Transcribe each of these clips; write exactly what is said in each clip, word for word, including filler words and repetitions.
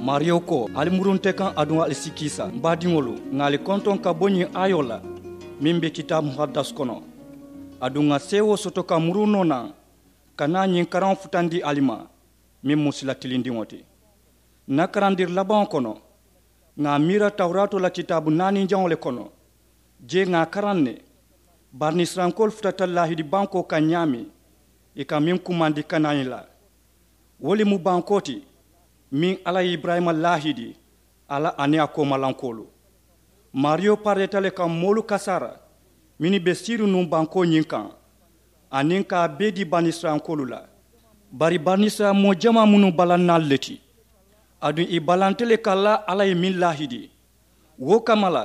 Maariyo ko, ali muru nte kaŋ aduŋ ali si kiisa. M baadiŋolu, ŋà ali kontoŋ ka bo ñiŋ aayoo la meŋ be kitaabu muhaddas kono. Aduŋ ŋà seewoo soto ka muru noo naŋ ka naa ñiŋ karaŋo futandi ali ma, meŋ mu sila tilindiŋo ti. N na karandiri labaŋo kono, ŋà a miira tawuraatoo la kitaabu naaninjaŋo le kono. Jee ŋà a karaŋ ne, banisirayilankoolu futata laahidi bankoo kaŋ ñaameŋ, ì ka meŋ kumandi kanani la. Wo le mu bankoo ti meŋ alla ye iburayima laahidi, a la aniŋ a koomalankoolu. Maariyo pareeta le ka moolu kasaara mennu be siiriŋ nuŋ bankoo ñiŋ kaŋ, aniŋ ka a bee dii banisirayilankoolu la. Bari banisirayila moo jamaa mu nuŋ balannaalu le ti. Aduŋ ì balanta le ka laa alla ye meŋ laahidi. Wo kamma la,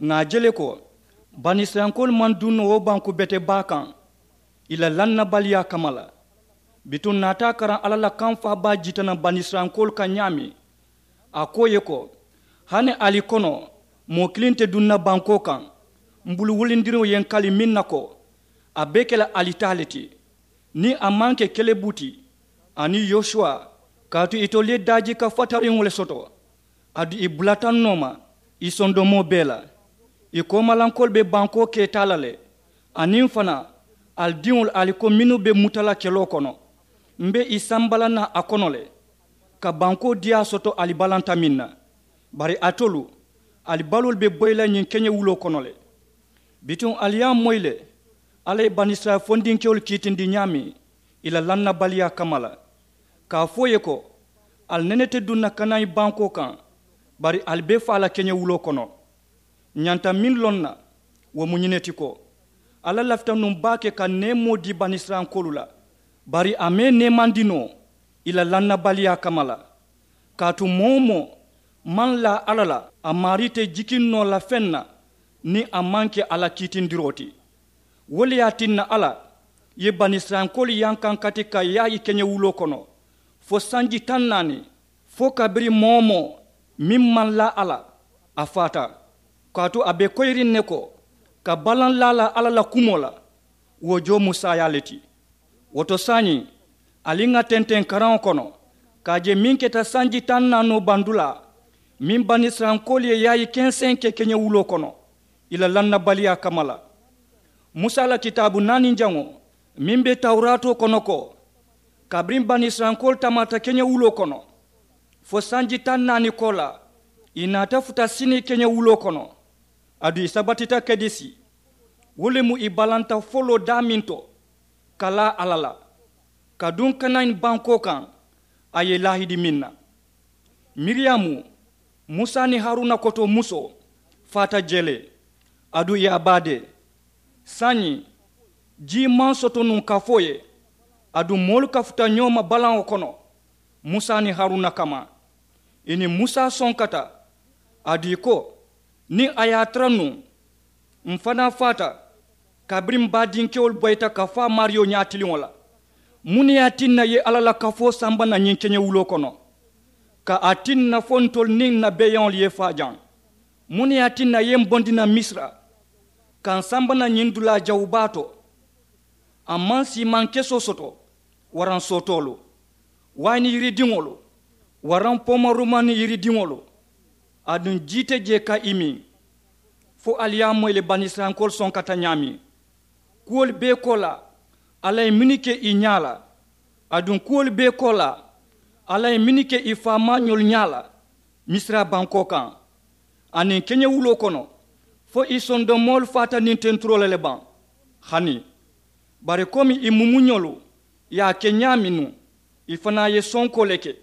ŋà a je le ko banisirayilankoolu maŋ duŋ noo wo banku bete baa kaŋ ì la lannabaliyaa kamma la. Bituŋ ǹ naata a karaŋ alla la kaŋ faabaa jitanaŋ banisirayilankoolu kaŋ ñaameŋ. A ko ì ye ko, hani ali kono moo kiliŋ te duŋ na bankoo kaŋ m bulu wulindiriŋo ye ǹ kali meŋ na ko, a be ke la ali taa le ti, niŋ a maŋ ke kelebu ti aniŋ yosuwa, kaatu itolu ye daajika fatariŋo le soto. Aduŋ ì bulata ǹ nooma ì sondomoo bee la. Ì koomalankoolu be bankoo keetaa la le. Aniŋ fanaa, ali diŋolu ali ko mennu be muta la keloo kono, m be ì samba la naŋ a kono le ka bankoo diyaa soto ali balanta meŋ na. Bari alitolu, ali baloolu be boyi la ñiŋ keñewuloo kono le. Bituŋ ali ye a moyi le, alla ye banisirayila fondinkewolu kiitindi ñaameŋ ì la lannabaliyaa kamma la, ka a fo ì ye ko, ali nene te duŋ na kanaani bankoo kaŋ, bari ali be faa la keñewuloo kono. Ǹ ñanta meŋ loŋ na, wo mu ñiŋ ne ti ko, alla lafita nuŋ baake ka neemoo dii banisirayilankoolu la, bari a maŋ ì neemandi noo ì la lannabaliyaa kamma la. Kaatu moo-wo-moo maŋ laa alla la, a maarii te jikiŋ noo la feŋ na niŋ a maŋ ke a la kiitindiroo ti. Wo le ye a tinna alla ye banisirayilankoolu yankankati ka yaayi keñewuloo kono fo sanji taŋ naani, fo kabiriŋ moo-wo-moo meŋ maŋ laa alla, a faata. Kaatu a be koyiriŋ ne ko, ka balaŋ laa la alla la kumoo la, wo joo mu saayaa le ti. Wo to saayiŋ, ali ŋà tenteŋ karaŋo kono ka a je meŋ keta sanji taŋ naanoo bandulaa, meŋ banisirayilankoolu ye yaayi kenseŋ ke keñewuloo kono ì la lannabaliyaa kamma la. Musa la kitaabu naaninjaŋo meŋ be tawuraatoo kono ko, kabiriŋ banisirayilankoolu tamaata keñewuloo kono fo sanji taŋ naani koolaa, ì naata futa sini keñewuloo kono. Aduŋ ì sabatita kedesi, wo le mu ì balanta foloo daameŋ to ka laa alla la, ka duŋ kanaani bankoo kaŋ a ye ì laahidi meŋ na. Miriyamu, musa niŋ haruna koto musoo, faata jee le. Aduŋ ì ye a baadee. Saayiŋ, jii maŋ soto nuŋ kafoo ye. Aduŋ moolu kafuta ñoo ma balaŋo kono musa niŋ haruna kamma. Ì niŋ musa sonkata. Aduŋ ì ko, niŋ a ye a tara nuŋ, m fanaa faata. Kabiriŋ m baadinkewolu boyita ka faa maariyo ñaatiliŋo la, muŋ ne ye a tinna ì ye alla la kafoo samba naŋ ñiŋ keñewuloo kono? Ka a tinna fo ntolu niŋ n na beeyaŋolu ye faa jaŋ? Muŋ ne ye a tinna ì ye m bondi naŋ misira ka m samba naŋ ñiŋ dulaa jawubaa to? A maŋ siimaŋ kesoo soto, waraŋ sootoolu, wayini yiridiŋolu, waraŋ poomarumaani yiridiŋolu. Aduŋ jii te jee ka ì miŋ. Fo ali ye a moyi le banisirayilankoolu sonkata ñaameŋ. Kuwolu bee koolaa, alla ye mennu ke ì ñaa la. Aduŋ kuwolu bee koolaa, alla ye mennu ke ì faamaañolu ñaa la misira bankoo kaŋ aniŋ keñewuloo kono, fo ì sondomoolu faata niŋ tenturoo la le baŋ? Hani. Bari komi ì mumuñolu ye a ke ñaameŋ nuŋ, ì fanaa ye sonkoo le ke.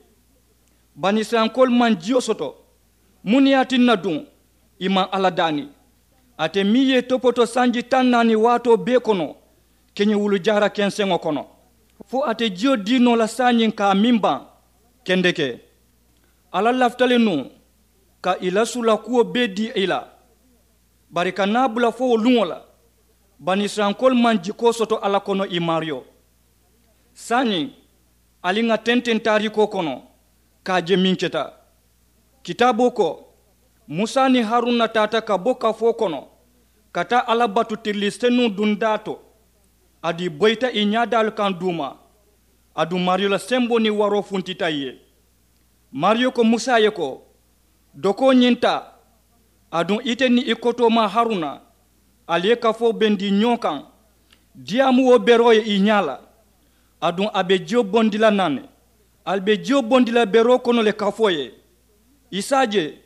Banisirayilankoolu maŋ jiyo soto. Muŋ ne ye a tinna duŋ ì maŋ alla daani? Ate meŋ ye ì topoto sanji taŋ naani waatoo bee kono keñewulu jaara kenseŋo kono, fo a te jiyo dii noo la saayiŋ ka a miŋ baŋ? Kendeke, alla lafita le nuŋ ka ì la suula kuwo bee dii ì la. Bari ka naa bula fo wo luŋo la, banisirayilankoolu maŋ jikoo soto alla kono ì maariyo. Saayiŋ, ali ŋà tenteŋ taariikoo kono ka a je meŋ keta. Kitaaboo ko, musa niŋ haruna taata ka bo kafoo kono ka taa alla batu tirilii senuŋ dundaa to. Aduŋ ì boyita ì ñaadaalu kaŋ duuma. Aduŋ maariyo la semboo niŋ waroo funtita ì ye. Maariyo ko musa ye ko, dokoo ñiŋ taa, aduŋ ite niŋ i kotoomaa haruna, ali ye kafoo bendi ñoo kaŋ. Diyaamu wo beroo ye i ñaa la, aduŋ a be jiyo bondi la naŋ ne. Ali be jiyo bondi la beroo kono le kafoo ye. I si a je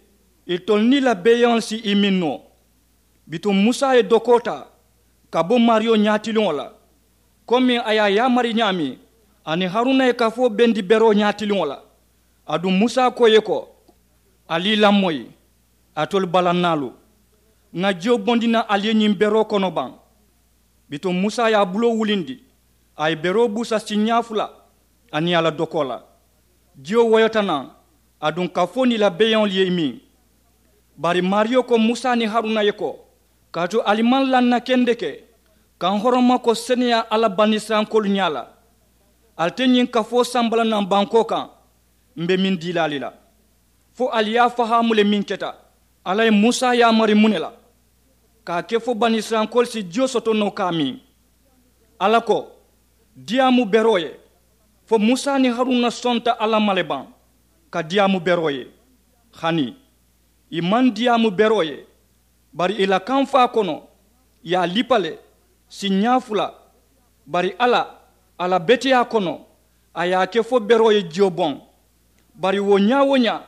itolu niŋ i la beeyaŋolu si i miŋ noo. Bituŋ musa ye dokoo taa ka bo maariyo ñaatiliŋo la, komiŋ a ye a yaamari ñaameŋ, aniŋ haruna ye kafoo bendi beroo ñaatiliŋo la. Aduŋ musa ko ì ye ko, ali i lamoyi, alitolu balannaalu, ŋà jiyo bondi naŋ ali ye ñiŋ beroo kono baŋ? Bituŋ musa ye a buloo wulindi, a ye beroo buusa siiñaa fula aniŋ a la dokoo la. Jiyo woyota naŋ, aduŋ kafoo niŋ i la beeyaŋolu ye i miŋ. Bari maariyo ko musa niŋ haruna ye ko, kaatu ali maŋ laŋ na kendeke ka n horoma ko seneyaa alla banisirayilankoolu ñaa la. Ali te ñiŋ kafoo samba la naŋ bankoo kaŋ, m be meŋ dii la ali la. Fo ali ye a fahaamu le meŋ keta. Alla ye musa yaamari muŋ ne la? Ka a ke fo banisirayilankoolu si jiyo soto noo ka a miŋ. Alla ko, diyaamu beroo ye. Fo musa niŋ haruna sonta alla ma le baŋ ka diyaamu beroo ye? Hani ì maŋ diyaamu beroo ye. Bari ì la kamfaa kono ì ye a lipa le siiñaa fula. Bari alla, a la beteyaa kono, a ye a ke fo beroo ye jiyo boŋ. Bari wo ñaa-wo-ñaa,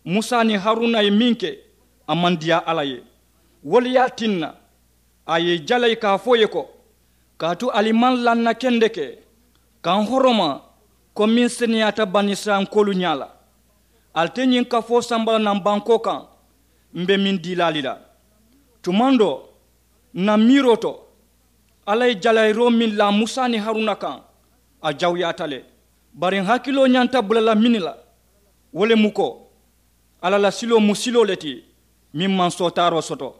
musa niŋ haruna ye meŋ ke, a maŋ diyaa alla ye. Wo le ye a tinna a ye i jalayi ka a fo ì ye ko, kaatu ali maŋ laŋ na kendeke ka n horoma ko meŋ seneyaata banisirayilankoolu ñaa la. Ali te ñiŋ kafoo samba la naŋ bankoo kaŋ, m be meŋ dii la ali la. Tumaŋ doo, n na miiroo to, alla ye jalayiroo meŋ laa musa niŋ haruna kaŋ, a jawuyaata le. Bari n hakiloo ñanta bula la meŋ ne la, wo le mu ko, alla la siloo mu siloo le ti meŋ maŋ sootaaroo soto.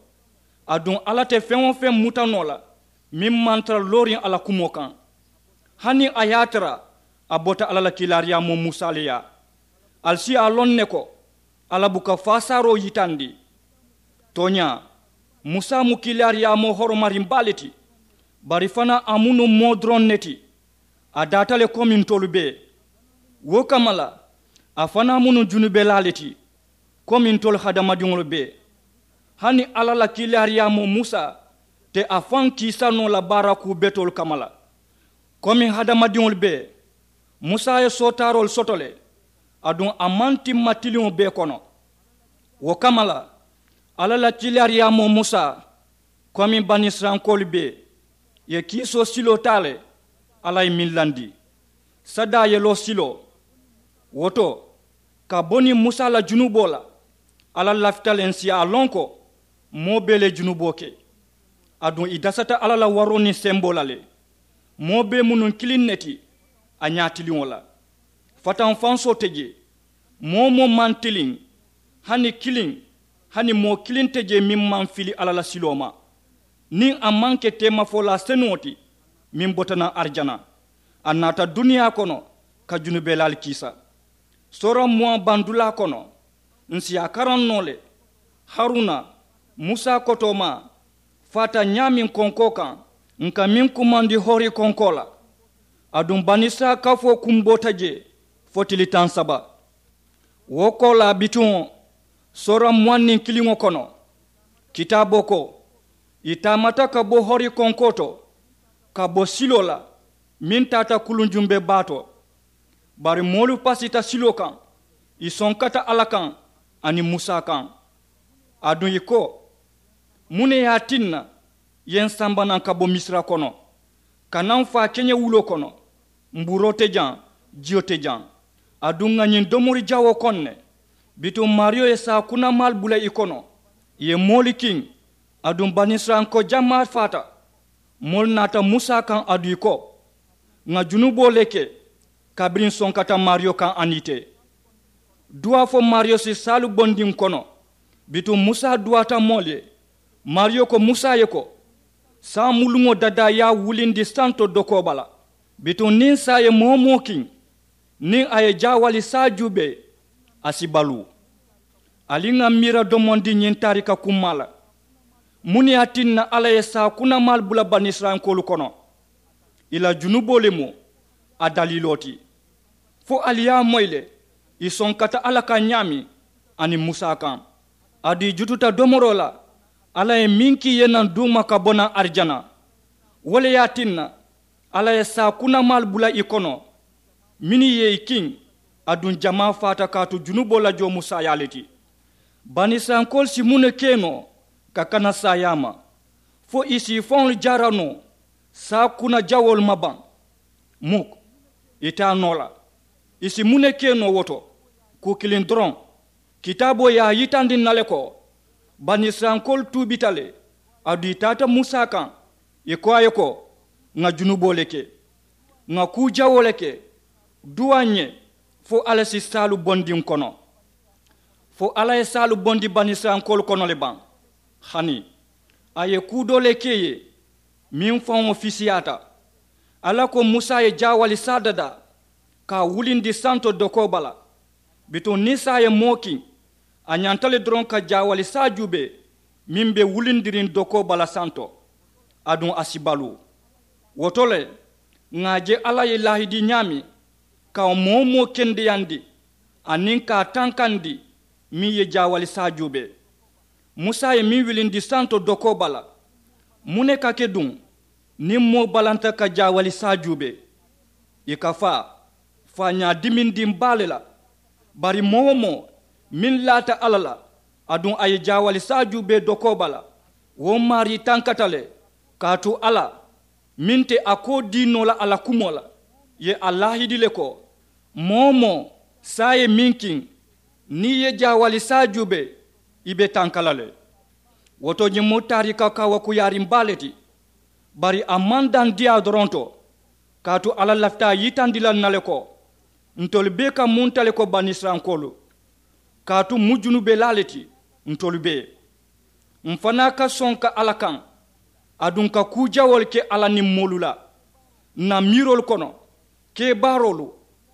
Aduŋ alla te feŋ-wo-feŋ muta noo la meŋ maŋ tara looriŋ a la kumoo kaŋ. Hani a ye a tara a bota alla la kiilaariyaamoo musa le yaa. Ali si a loŋ ne ko, alla buka faasaaroo yitandi. Tooñaa, musa mu kiilaariyaamoo horomariŋ baa le ti. Bari fanaa a mu nuŋ moo doroŋ ne ti. A daata le komi ntolu bee. Wo kamma la, a fanaa mu nuŋ junubelaa le ti komi ntolu hadamadiŋolu bee. Hani alla la kiilaariyaamoo musa te a faŋ kiisa noo la baara kuu betoolu kamma la. Komi hadamadiŋolu bee, musa ye sootaaroolu soto le. Aduŋ a maŋ timma tiliŋo bee kono. Wo kamma la, alla la kiilaariyaamoo musa, komi banisirayilankoolu bee, ì ye kiisoo siloo taa le. Alla ye meŋ landi, sadaa yeloo siloo. Wo to, ka bo niŋ musa la junuboo la, alla lafita le n si a loŋ ko moo bee le ye junuboo ke. Aduŋ ì dasata alla la waroo niŋ semboo la le. Moo bee mu nuŋ kiliŋ ne ti a ñaatiliŋo la. Fatanfansoo te jee. Moo-wo-moo maŋ tiliŋ, hani kiliŋ, hani moo kiliŋ te jee meŋ maŋ fili alla la siloo ma. Niŋ a maŋ ke teemafolaa senuŋo ti meŋ bota naŋ arijana, a naata duniyaa kono ka junubelaalu kiisa. Soora muwaŋ bandulaa kono, n si a karaŋ noo le. Haruna, musa kotoomaa, faata ñaameŋ konkoo kaŋ, n ka meŋ kumandi hori konkoo la. Aduŋ banisirayila kafoo kumboota jee fo tili taŋ saba. Wo koolaa bituŋo, soora muwaŋ niŋ kiliŋo kono, kitaaboo ko, ì taamata ka bo hori konkoo to, ka bo siloo la meŋ taata kuluŋ jumbe baa to. Bari moolu pasita siloo kaŋ, ì sonkata alla kaŋ aniŋ musa kaŋ. Aduŋ ì ko, muŋ ne ye a tinna ì ye n samba naŋ ka bo misira kono, ka naa n faa keñewuloo kono? Mbuuroo te jaŋ, jiyo te jaŋ, aduŋ ŋà ñiŋ domori jawoo koŋ ne. Bituŋ maariyo ye saakunamaalu bula ì kono, ì ye moolu kiŋ. Aduŋ banisirayilanko jamaa faata. Moolu naata musa kaŋ aduŋ ì ko, ŋà junuboo le ke kabiriŋ n sonkata maariyo kaŋ aniŋ ite. Duwaa fo maariyo si saalu bondi n kono. Bituŋ musa duwaata moolu ye. Maariyo ko musa ye ko, saamuluŋo dadaa ye a wulindi santo dokoo bala. Bituŋ niŋ saa ye moo-wo-moo kiŋ, niŋ a ye jaawali saa juubee, a si baluu. Ali ŋà miira domondi ñiŋ taarika kummaa la. Muŋ ne ye a tinna alla ye saakunamaalu bula banisirayilankoolu kono? Ì la junuboo le mu a daliiloo ti. Fo ali ye a moyi le Ì sonkata alla kaŋ ñaameŋ aniŋ musa kaŋ. Aduŋ ì jututa domoroo la alla ye meŋ kii ye naŋ duuma ka bo naŋ arijana. Wo le ye a tinna alla ye saakunamaalu bula ì kono mennu ye ì kiŋ. Aduŋ jamaa faata kaatu junuboo la joo mu saayaa le ti. Banisirayilankoolu si muŋ ne ke noo ka kana saayaa ma fo ì si ì faŋolu jaara noo saakunajawoolu ma baŋ? Muk. Ì te a noo la. Ì si muŋ ne ke noo wo to? Kuu kiliŋ doroŋ. Kitaaboo ye a yitandi ǹ na le ko banisirayilankoolu tuubita le. Aduŋ ì taata musa kaŋ ì ko a ye ko, ŋà junuboo le ke, ŋà kuu jawoo le ke. Duwaa ǹ ye fo alla si saalu bondi ǹ kono. Fo alla ye saalu bondi banisirayilankoolu kono le baŋ? Hani a ye kuu doo le ke ì ye meŋ faŋo fisiyaata. Alla ko musa ye jaawali saa dadaa ka a wulindi santo dokoo bala. Bituŋ niŋ saa ye moo kiŋ a ñanta le doroŋ ka jaawali saa juubee meŋ be wulindiriŋ dokoo bala santo. Aduŋ a si baluu. Wo to le ŋà a je alla ye laahidi ñaameŋ ka wo moo-wo-moo kendeyandi aniŋ ka a tankandi meŋ ye jaawali saa juubee. Musa ye meŋ wilindi santo dokoo bala. Muŋ ne ka ke duŋ niŋ moo balanta ka jaawali saa juubee? Ì ka faa faañaa dimindiŋ baa le la. Bari moo-wo-moo meŋ laata alla la aduŋ a ye jaawali saa juubee dokoo bala, wo maarii tankata le. Kaatu alla meŋ te a koo dii noo la a la kumoo la ye a laahidi le ko, moo-wo-moo saa ye meŋ kiŋ niŋ ì ye jaawali saa juubee ì be tanka la le. Wo to ñiŋ mu taariika kaawakuuyaariŋ baa le ti. Bari a maŋ daŋ diyaa doroŋ to. Kaatu alla lafita a yitandi la ǹ na le ko ntolu bee ka munta le ko banisirayilankoolu. Kaatu ǹ mu junubelaa le ti ntolu bee. M̀ fanaa ka sonka alla kaŋ aduŋ ka kuu jawoolu ke alla niŋ moolu la, ǹ na miiroolu kono, kebaaroolu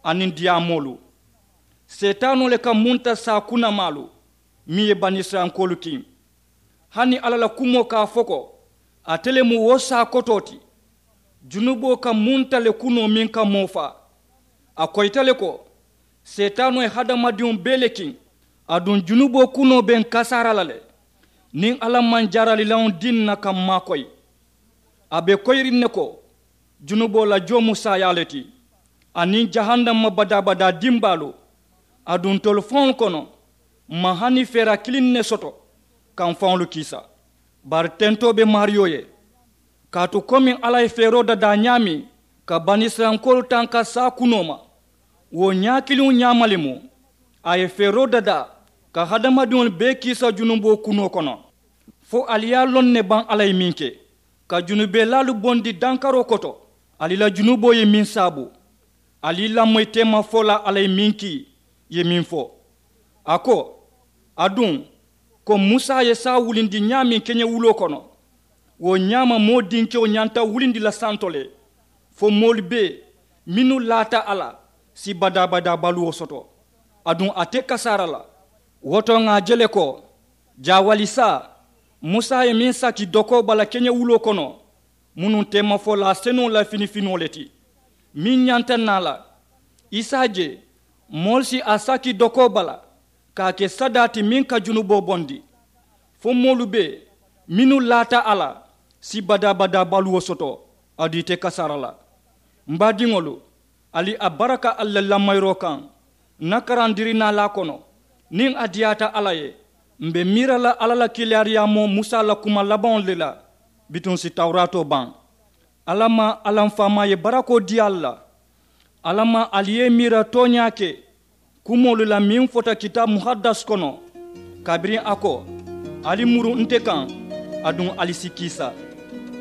aniŋ diyaamoolu. Seetaanoo le ka munta saakunamaalu meŋ ye banisirayilankoolu kiŋ. Hani alla la kumoo ka a fo ko ate le mu wo saa kotoo ti. Junuboo ka munta le kunoo meŋ ka moo faa. A koyita le ko seetaanoo ye hadamadiŋo bee le kiŋ. Aduŋ junuboo kunoo be ǹ kasaara la le niŋ alla maŋ jaaralilaŋo dii ǹ na ka m̀ maakoyi. A be koyiriŋ ne ko junuboo la joo mu saayaa le ti aniŋ jahannama badaa-badaa dimbaalu. Aduŋ ntolu faŋolu kono m̀ maŋ hani feera kiliŋ ne soto ka m̀ faŋolu kiisa. Bari tentoo be maariyo ye. Kaatu komiŋ alla ye feeroo dadaa ñaameŋ ka banisirayilankoolu tanka saa kunoo ma, wo ñaakiliŋo ñaama le mu a ye feeroo dadaa ka hadamadiŋolu bee kiisa junuboo kunoo kono. Fo ali ye a loŋ ne baŋ alla ye meŋ ke ka junubelaalu bondi dankaroo koto? Ali la junuboo ye meŋ saabu? Ali lamoyi teemafolaa alla ye meŋ kii ye meŋ fo? A ko, aduŋ ko musa ye saa wulindi ñaameŋ keñewuloo kono, wo ñaama moo dinkewo ñanta wulindi la santo le fo moolu bee mennu laata a la si badaa-badaa baluwo soto. Aduŋ a te kasaara la. Wo to ŋà a je le ko jaawali saa musa ye meŋ saki dokoo bala keñewuloo kono, munuŋ teemafolaa senuŋo la finifinoo le ti meŋ ñanta naa la. I si a je moolu si a saki dokoo bala ka a ke sadaa ti meŋ ka junuboo bondi. Fo moolu be mennu laata a la si badaa-badaa baluwo soto. Aduŋ i te kasaara la. M̀ baadiŋolu, ali a baraka ali la lamayiroo kaŋ. Ǹ na karandirinaalaa kono niŋ a diyaata alla ye, m̀ be miira la alla la kiilaariyaamoo musa la kuma labaŋolu le la. Bituŋ si tawuraatoo baŋ. Alla maŋ alla m̀ faamaa ye barakoo dii ali la. Alla maŋ ali ye i miira tooñaa ke kumoolu la meŋ fota kitaabu muhaddas kono, kabiriŋ a ko, ali muru nte kaŋ aduŋ ali si kiisa.